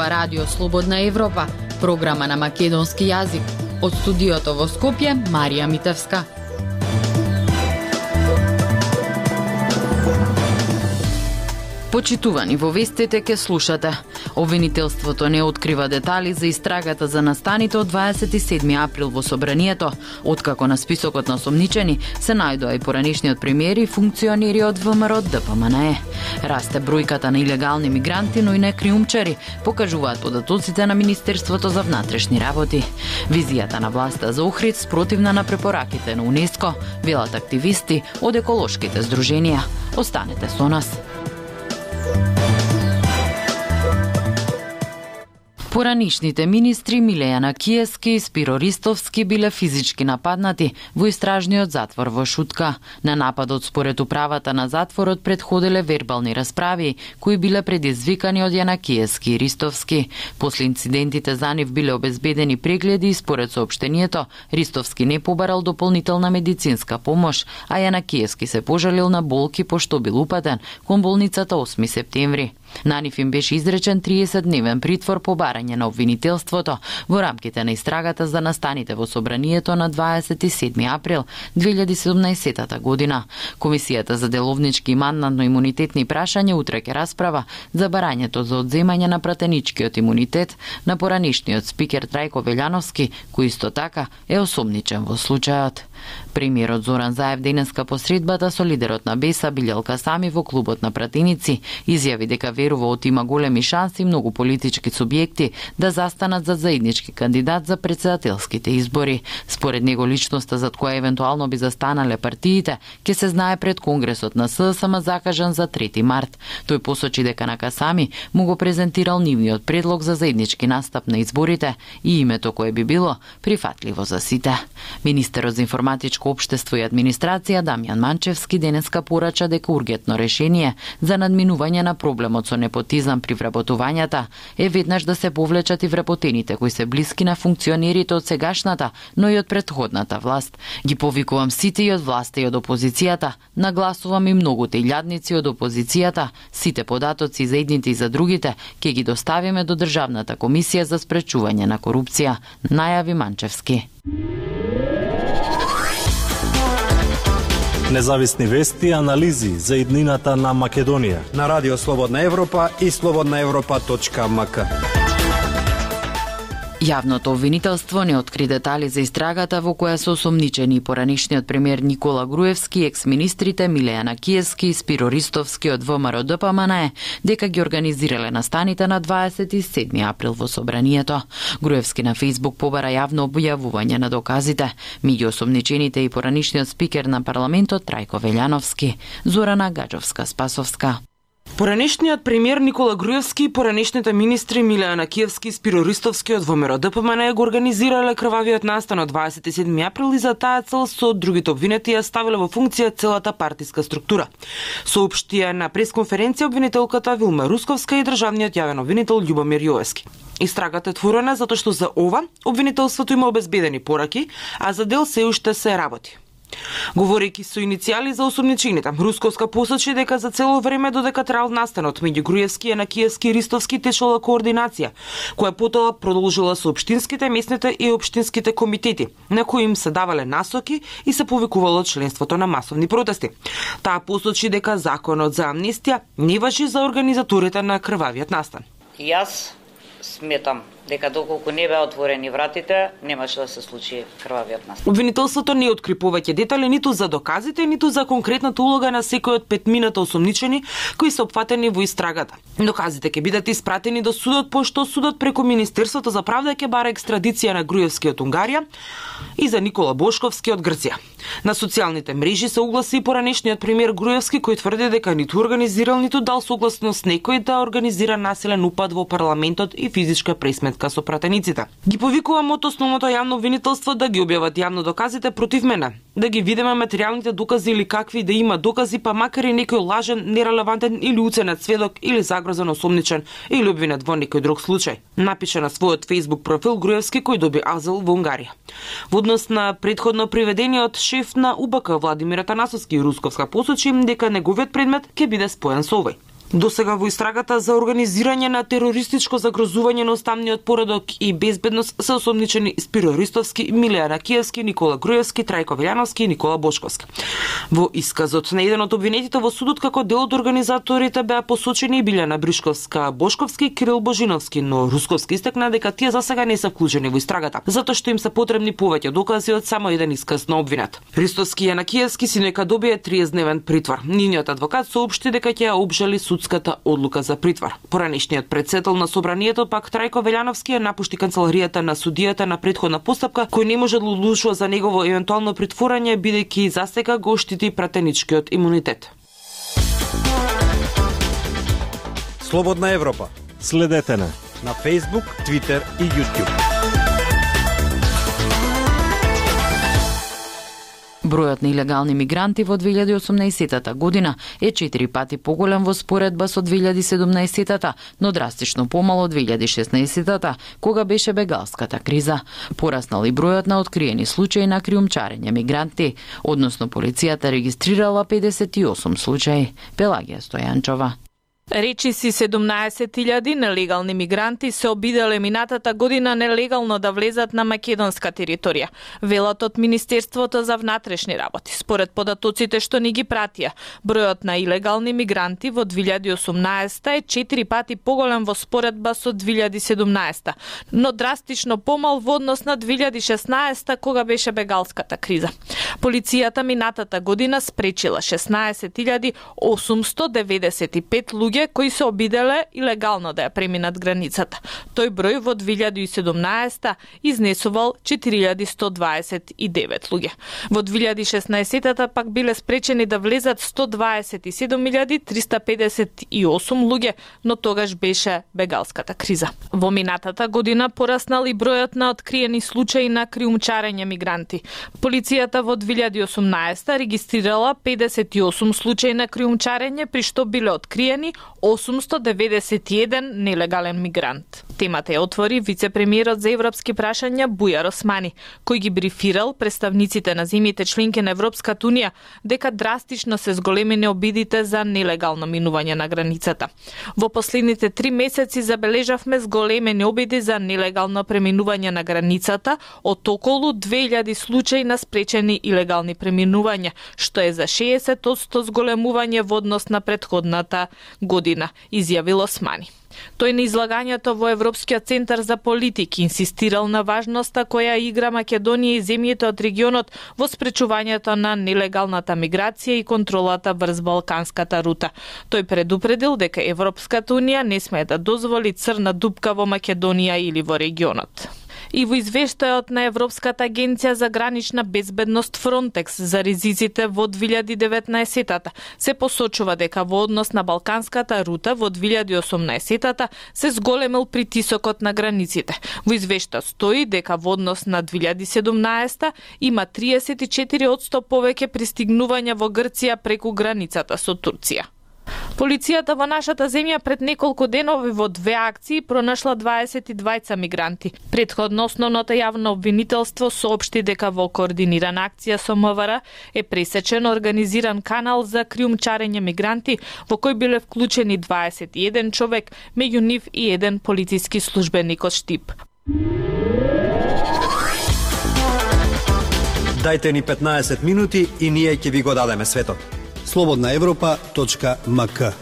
Зборува Радио Слободна Европа, програма на македонски јазик. Од студиото во Скопје, Марија Митевска. Почитувани, во вестите ке слушате. Обвинителството не открива детали за истрагата за настаните од 27 април во собранието, откако на списокот на осомничени се најдоа и поранешниот премиер и функционери од ВМРО ДПМНЕ. Расте бројката на илегални мигранти, но и на криумчари, покажуваат податоците на Министерството за внатрешни работи. Визијата на власта за Охрид спротивна на препораките на УНЕСКО, велат активисти од еколошките здруженија. Останете со нас. Поранишните министри Милејана Киевски и Спиро Ристовски биле физички нападнати во истражниот затвор во Шутка. На нападот според управата на затворот предходеле вербални расправи, кои биле предизвикани од Јанакиевски и Ристовски. После инцидентите за нив биле обезбедени прегледи и според соопштението, Ристовски не побарал дополнителна медицинска помош, а Јанакиевски се пожалил на болки пошто бил упатен кон болницата 8 септември. На нив им беше изречен 30-дневен притвор по барање на обвинителството во рамките на истрагата за настаните во собранието на 27 април 2017 година. Комисијата за деловнички и мандатно-имунитетни прашања утре ќе расправа за барањето за одземање на пратеничкиот имунитет на поранешниот спикер Трајко Велјановски, кој исто така е осомничен во случајот. Премиерот Зоран Заев денеска по средбата со лидерот на БЕСА Билјал Касами во клубот на пратеници изјави дека верува од има големи шанси многу политички субјекти да застанат за заеднички кандидат за претседателските избори. Според него личноста зад која евентуално би застанале партиите ќе се знае пред Конгресот на СДСМ закажан за 3 март. Тој посочи дека на Касами му го презентирал нивниот предлог за заеднички настап на изборите и името кое би било прифатливо за сите. Министерот за информатичко општество и администрација Дамјан Манчевски денеска порача дека ургентно решение за надминување на проблемот со непотизам при вработувањата е веднаш да се повлечат и вработените кои се блиски на функционерите од сегашната, но и од претходната власт. Ги повикувам сите и од власта и од опозицијата, нагласувам и многуте илјадници од опозицијата, сите податоци за едните и за другите ќе ги доставиме до Државната комисија за спречување на корупција, најави Манчевски. Независни вести и анализи за иднината на Македонија на Радио Слободна Европа и slobodnaevropa.mk. Јавното обвинителство не откри детали за истрагата во која се осомничени поранешниот премиер Никола Груевски, екс-министрите Милејана Киевски и Спиро Ристовски од ВМРО ДПМНЕ, дека ги организирале настаните на 27 април во собранието. Груевски на Фејсбук побара јавно објавување на доказите. Меѓу осомничените и поранешниот спикер на парламентот Трајко Велјановски. Зорана Гаджовска-Спасовска. Поранешниот премиер Никола Груевски и поранешните министри Милејана Киевски и Спиро Ристовски од ВМРО ДПМНЕ го организирале крвавиот настан од 27 април и за таа цел со другите обвинети ја ставиле во функција целата партиска структура. Соопштија на пресконференција обвинителката Вилма Русковска и државниот јавен обвинител Љубомир Јовески. Истрагата е отворена затоа што за ова обвинителството има обезбедени пораки, а за дел се уште се работи. Говорејќи со иницијали за осомничените, Русковска посочи дека за цело време додека трал настанот меѓу Груевски, Јанакиевски и Ристовски течела координација, која потоа продолжила со општинските, местните и општинските комитети, на кои им се давале насоки и се повикувало членството на масовни протести. Таа посочи дека законот за амнестија не важи за организаторите на крвавиот настан. Јас сметам дека доколку не беа отворени вратите, немаше да се случи крвавиот настан. Обвинителството не откри повеќе детали ниту за доказите, ниту за конкретната улога на секој од петмината осомничени кои се опфатени во истрагата. Доказите ќе бидат испратени до судот, пошто судот преку Министерството за правда ќе бара екстрадиција на Груевски од Унгарија и за Никола Бошковски од Грција. На социјалните мрежи се огласи и поранешниот премиер Груевски кој тврди дека ниту организирал, ниту дал согласност некој да организира насилен упад во парламентот и физичка пресметка со пратениците. Ги повикувам од основното јавно обвинителство да ги објават јавно доказите против мене, да ги видиме материјалните докази или какви да има докази, па макар и некој лажен, нерелевантен или уценет сведок или загрозен осомничен или обвинет во некој друг случај. Напише на својот Facebook профил Груевски кој доби азил во Унгарија. Во однос на претходно приведениот шеф на УБК Владимир Атанасовски и Русковска посочи дека неговиот предмет ќе биде споен со овој. Досега во истрагата за организирање на терористичко загрозување на уставниот поредок и безбедност се осомничени Спиро Ристовски, Милејан Акиевски, Никола Груевски, Трајко Велјановски и Никола Бошковски. Во исказот на еден од обвинетите во судот како дел од организаторите беа посочени и Билјана Бришковска, Бошковски и Кирил Божиновски, но Русковски истакна дека тие засега не се вклучени во истрагата, затоа што им се потребни повеќе докази од само еден исказ на обвинет. Ристовски и Акиевски си нека добие 30-дневен притвор. Нивниот адвокат соопшти дека ќе ја обжали судската одлука за притвор. Поранешниот претседател на собранието пак Трајко Велјановски ја напушти канцеларијата на судијата на претходна постапка, кој не може да одлучува за негово евентуално притворање бидејќи засега го штити пратеничкиот имунитет. Слободна Европа. Следете на Facebook, Twitter и YouTube. Бројот на илегални мигранти во 2018 година е 4 пати поголем во споредба со 2017, но драстично помало од 2016, кога беше бегалската криза. Пораснал и бројот на откриени случаи на криумчарење мигранти, односно полицијата регистрирала 58 случаи. Пелагија Стојанчова. Речиси 17.000 нелегални мигранти се обиделе минатата година нелегално да влезат на македонска територија, велат од Министерството за внатрешни работи. Според податоците што ни ги пратија, бројот на илегални мигранти во 2018 е 4 пати поголем во споредба со 2017, но драстично помал во однос на 2016 кога беше бегалската криза. Полицијата минатата година спречила 16.895 луѓе кои се обиделе илегално да ја преминат границата. Тој број во 2017 изнесувал 4129 луѓе. Во 2016 пак биле спречени да влезат 127.358 луѓе, но тогаш беше бегалската криза. Во минатата година пораснал и бројот на откриени случаи на криумчарење мигранти. Полицијата во 2018 регистрирала 58 случаи на криумчарење, при што биле откриени 891 нелегален мигрант. Темата ја отвори вице-премиерот за европски прашања Бујар Османи, кој ги брифирал представниците на земјите членки на Европската унија дека драстично се зголемени обидите за нелегално минување на границата. Во последните 3 месеци забележавме зголемени обиди за нелегално преминување на границата од околу 2000 случаи на спречени илегални преминувања, што е за 60% зголемување во однос на претходната година, изјавил Османи. Тој на излагањето во Европскиот центар за политики инсистирал на важноста која игра Македонија и земјите од регионот во спречувањето на нелегалната миграција и контролата врз Балканската рута. Тој предупредил дека Европската унија не смее да дозволи црна дупка во Македонија или во регионот. И во извештајот на Европската агенција за гранична безбедност Frontex за ризиците во 2019 се посочува дека во однос на Балканската рута во 2018 се зголемил притисокот на границите. Во извештајот стои дека во однос на 2017 има 34% повеќе пристигнувања во Грција преку границата со Турција. Полицијата во нашата земја пред неколку денови во 2 акции пронашла 22 мигранти. Претходно основното јавно обвинителство соопшти дека во координирана акција со МВР е пресечен организиран канал за криумчарење мигранти во кој биле вклучени 21 човек, меѓу нив и еден полициски службеник од Штип. Дајте ни 15 минути и ние ќе ви го дадеме светот. slobodnaevropa.mk.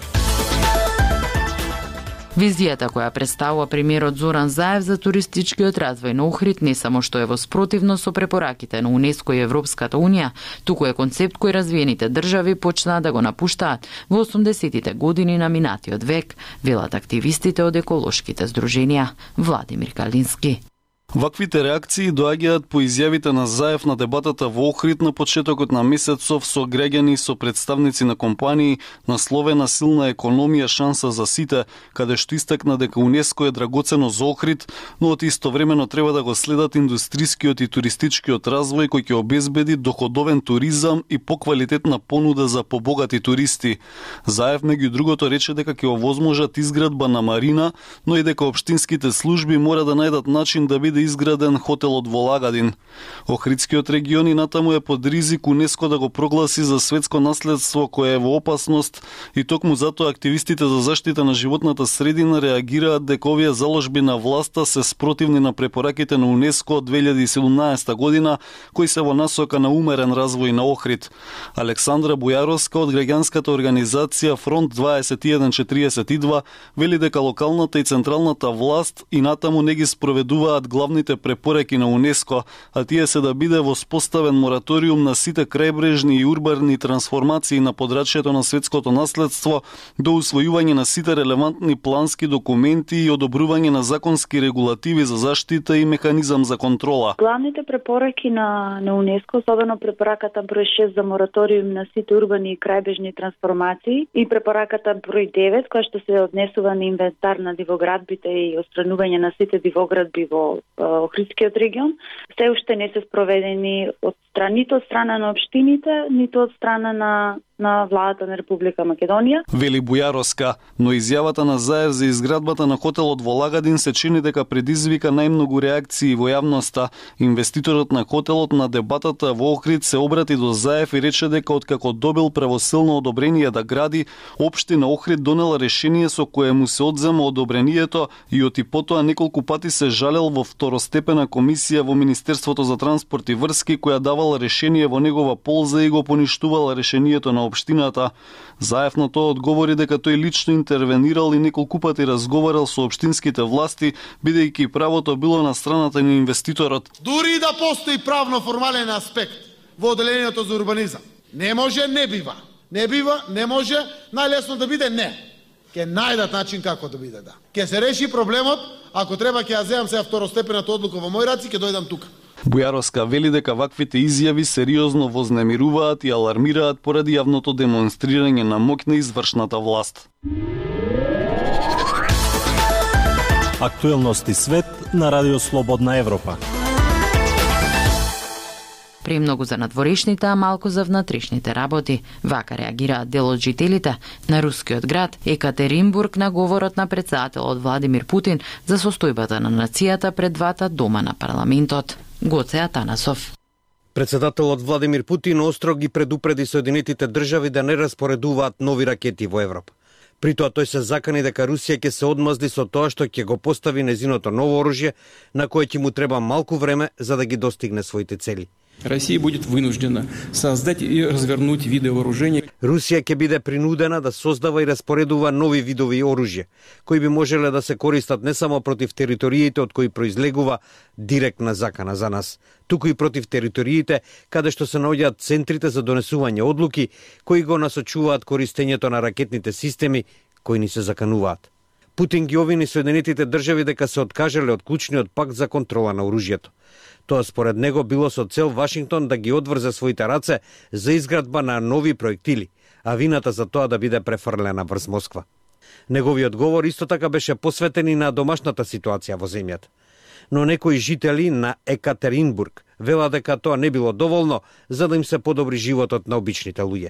Визијата која представува премиерот Зоран Заев за туристичкиот развој на Охрид не само што е во спротивно со препораките на УНЕСКО и Европската унија, туку е концепт кој развиените држави почнаа да го напуштаат во 80-тите години на минатиот век, велат активистите од еколошките здруженија. Владимир Калински. Ваквите реакции доаѓаат по изјавите на Заев на дебатата во Охрид на почетокот на месецов со граѓани и со представници на компании насловена силна економија шанса за сите, каде што истакна дека УНЕСКО е драгоцено за Охрид, но од истовремено треба да го следат индустрискиот и туристичкиот развој кој ќе обезбеди доходовен туризам и поквалитетна понуда за побогати туристи. Заев меѓу другото рече дека ќе овозможат изградба на марина, но и дека општинските служби мора да најдат начин да биде изграден хотелот во Лагадин. Охридскиот регион и натаму е под ризик УНЕСКО да го прогласи за светско наследство кое е во опасност и токму затоа активистите за заштита на животната средина реагираат дека овие заложби на власта се спротивни на препораките на УНЕСКО од 2017 година, кои се во насока на умерен развој на Охрид. Александра Бујаровска од граѓанската организација Фронт 2142 вели дека локалната и централната власт и натаму не ги спроведуваат главните препораки на УНЕСКО, а тие се да биде воспоставен мораториум на сите крајбрежни и урбани трансформации на подрачјето на светското наследство до усвојување на сите релевантни плански документи и одобрување на законски регулативи за заштита и механизам за контрола. Главните препораки на УНЕСКО, особено препораката број 6 за мораториум на сите урбани и крајбрежни трансформации и препораката број 9 која што се однесува на инвентар на дивоградбите и отстранување на сите дивоградби во Охридскиот регион, се уште не се спроведени нито од страна на општините, нито од страна на владата на Република Македонија. Вели Бујаровска, но изјавата на Заев за изградбата на хотелот во Лагадин се чини дека предизвика најмногу реакции во јавноста. Инвеститорот на хотелот на дебатата во Охрид се обрати до Заев и рече дека откако добил правосилно одобрение да гради, општина Охрид донела решение со кое му се одзема одобрението и оти потоа неколку пати се жалел во второстепена комисија во Министерството за транспорт и врски која давала решение во негова полза и го поништувала решението на општината. Заев на тоа одговори дека тој лично интервенирал и неколку пати разговарал со општинските власти, бидејќи правото било на страната на инвеститорот. Дури да постои правно формален аспект во одделението за урбанизам, не може, не бива. Не бива, не може, најлесно да биде не. Ке најдат начин како да биде да. Ке се реши проблемот, ако треба ќе ја земам сега второстепената одлука во мој раци, ќе дојдам тука. Бујаровска вели дека ваквите изјави сериозно вознемируваат и алармираат поради јавното демонстрирање на моќ на извршната власт. Актуелности свет на Радио Слободна Европа. Премногу за надворешните, а малку за внатрешните работи. Вака реагираат дел од жителите на рускиот град Екатеринбург на говорот на претседателот Владимир Путин за состојбата на нацијата пред двата дома на парламентот. Гоце Атанасов. Председателот Владимир Путин остро ги предупреди Соединетите држави да не распоредуваат нови ракети во Европа. При тоа тој се закани дека Русија ќе се одмазди со тоа што ќе го постави незиното ново оружје, на кое ќе му треба малку време за да ги достигне своите цели. Россия будет вынуждена создать и развернуть виды вооружений. Русија ќе биде принудена да создава и распоредува нови видови оружје, кои би можеле да се користат не само против териториите од кои произлегува директна закана за нас, туку и против териториите каде што се наоѓаат центрите за донесување одлуки кои го насочуваат користењето на ракетните системи кои ни се закануваат. Путин ги обвини Соединетите држави дека се откажале од клучниот пакт за контрола на оружјето. Тоа според него било со цел Вашингтон да ги одврзе своите раце за изградба на нови проектили, а вината за тоа да биде префрлена врз Москва. Неговиот говор исто така беше посветен и на домашната ситуација во земјата. Но некои жители на Екатеринбург велат дека тоа не било доволно за да им се подобри животот на обичните луѓе.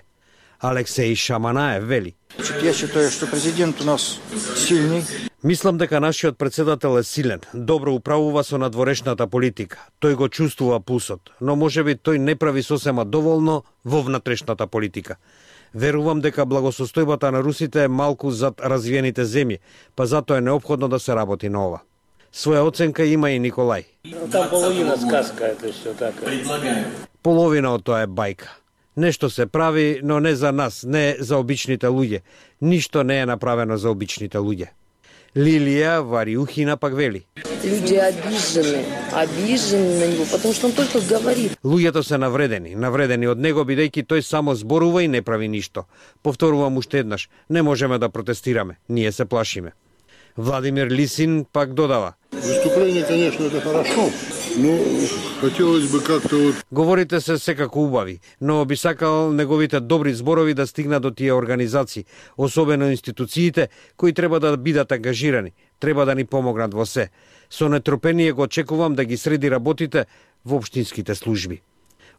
Алексеј Шаманаев вели: Ја считаю што президент у нас силни. Мислам дека нашиот председател е силен, добро управува со надворешната политика. Тој го чувствува пулсот, но можеби тој не прави сосема доволно во внатрешната политика. Верувам дека благосостојбата на русите е малку зад развиените земји, па затоа е неопходно да се работи на ова. Своја оценка има и Николај. Там половина сказка е што така. Половина од тоа е бајка. Нешто се прави, но не за нас, не за обичните луѓе. Ништо не е направено за обичните луѓе. Лилија Вариухина пак вели: Люди обижены на него, потому что он только говорит. Луѓето се навредени од него бидејќи тој само зборува и не прави ништо. Повторувам уште еднаш, не можеме да протестираме, ние се плашиме. Владимир Лисин пак додава: Выступление, конечно, это хорошо, но хотелось бы как-то вот... Говорите се секако убави, но би сакал неговите добри зборови да стигнат до тие организации, особено институциите кои треба да бидат ангажирани, треба да ни помогнат во се. Со нетрпение го очекувам да ги среди работите во општинските служби.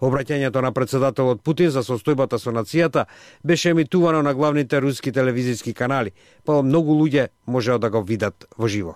Обраќањето на председателот Путин за состојбата со нацијата беше емитувано на главните руски телевизиски канали, па многу луѓе можеа да го видат во живо.